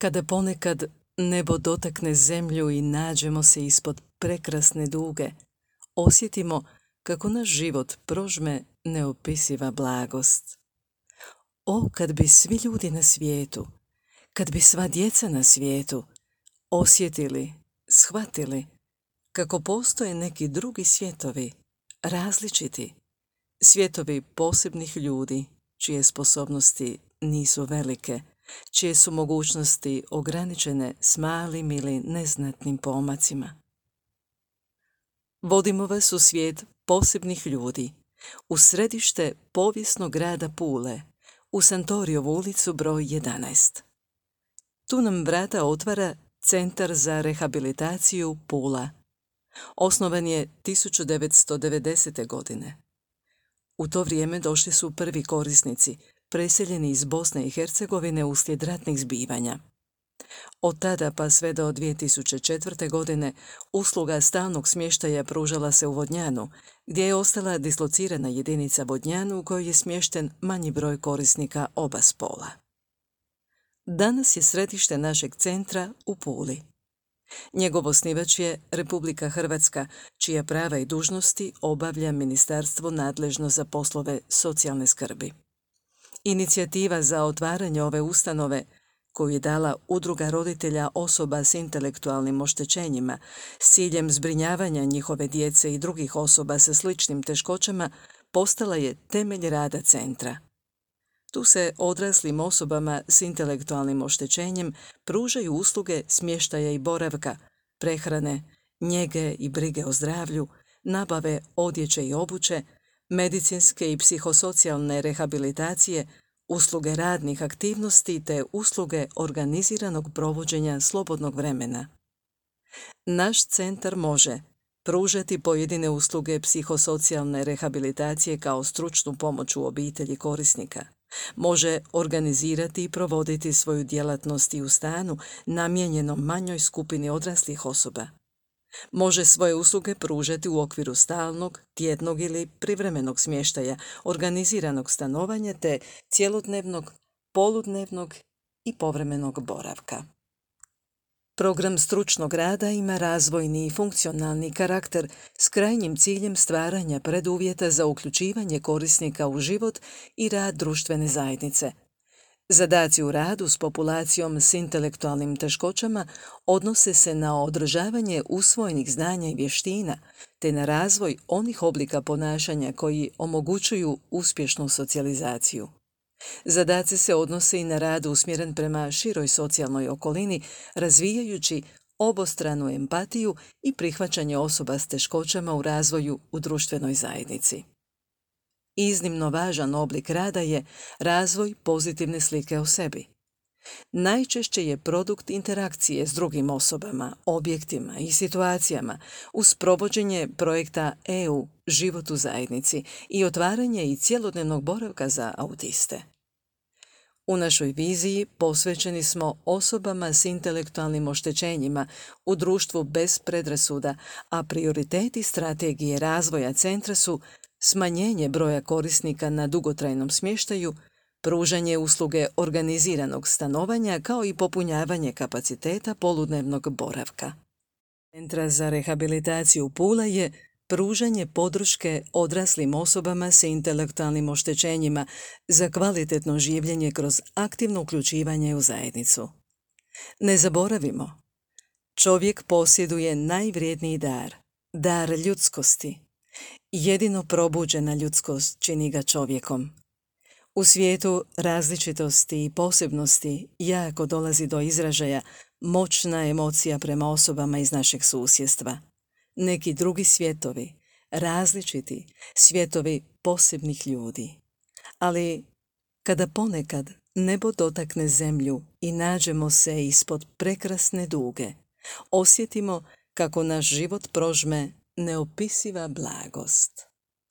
Kada ponekad nebo dotakne zemlju i nađemo se ispod prekrasne duge, osjetimo kako naš život prožme neopisiva blagost. O, kad bi svi ljudi na svijetu, kad bi sva djeca na svijetu osjetili, shvatili kako postoje neki drugi svijetovi, različiti, svijetovi posebnih ljudi, čije sposobnosti nisu velike, čije su mogućnosti ograničene s malim ili neznatnim pomacima. Vodimo vas u svijet posebnih ljudi, u središte povijesnog grada Pule, u Santorijevu ulicu broj 11. Tu nam vrata otvara Centar za rehabilitaciju Pula. Osnovan je 1990. godine. U to vrijeme došli su prvi korisnici, preseljeni iz Bosne i Hercegovine uslijed ratnih zbivanja. Od tada pa sve do 2004. godine usluga stalnog smještaja pružala se u Vodnjanu, gdje je ostala dislocirana jedinica Vodnjanu u kojoj je smješten manji broj korisnika oba spola. Danas je središte našeg centra u Puli. Njegov osnivač je Republika Hrvatska, čija prava i dužnosti obavlja ministarstvo nadležno za poslove socijalne skrbi. Inicijativa za otvaranje ove ustanove, koju je dala Udruga roditelja osoba s intelektualnim oštećenjima s ciljem zbrinjavanja njihove djece i drugih osoba sa sličnim teškoćama, postala je temelj rada centra. Tu se odraslim osobama s intelektualnim oštećenjem pružaju usluge smještaja i boravka, prehrane, njege i brige o zdravlju, nabave odjeće i obuće, medicinske i psihosocijalne rehabilitacije, usluge radnih aktivnosti te usluge organiziranog provođenja slobodnog vremena. Naš centar može pružati pojedine usluge psihosocijalne rehabilitacije kao stručnu pomoć u obitelji korisnika. Može organizirati i provoditi svoju djelatnost i u stanu namijenjenom manjoj skupini odraslih osoba. Može svoje usluge pružati u okviru stalnog, tjednog ili privremenog smještaja, organiziranog stanovanja te cjelodnevnog, poludnevnog i povremenog boravka. Program stručnog rada ima razvojni i funkcionalni karakter s krajnjim ciljem stvaranja preduvjeta za uključivanje korisnika u život i rad društvene zajednice. Zadaci u radu s populacijom s intelektualnim teškoćama odnose se na održavanje usvojenih znanja i vještina, te na razvoj onih oblika ponašanja koji omogućuju uspješnu socijalizaciju. Zadaci se odnose i na rad usmjeren prema široj socijalnoj okolini, razvijajući obostranu empatiju i prihvaćanje osoba s teškoćama u razvoju u društvenoj zajednici. Iznimno važan oblik rada je razvoj pozitivne slike o sebi. Najčešće je produkt interakcije s drugim osobama, objektima i situacijama uz provođenje projekta EU Život u zajednici i otvaranje i cjelodnevnog boravka za autiste. U našoj viziji posvećeni smo osobama s intelektualnim oštećenjima u društvu bez predrasuda, a prioriteti strategije razvoja centra su smanjenje broja korisnika na dugotrajnom smještaju, pružanje usluge organiziranog stanovanja kao i popunjavanje kapaciteta poludnevnog boravka. Centra za rehabilitaciju Pula je pružanje podrške odraslim osobama s intelektualnim oštećenjima za kvalitetno življenje kroz aktivno uključivanje u zajednicu. Ne zaboravimo, čovjek posjeduje najvrijedniji dar, dar ljudskosti. Jedino probuđena ljudskost čini ga čovjekom. U svijetu različitosti i posebnosti jako dolazi do izražaja moćna emocija prema osobama iz našeg susjedstva. Neki drugi svijetovi, različiti svijetovi posebnih ljudi. Ali kada ponekad nebo dotakne zemlju i nađemo se ispod prekrasne duge, osjetimo kako naš život prožme neopisiva blagost.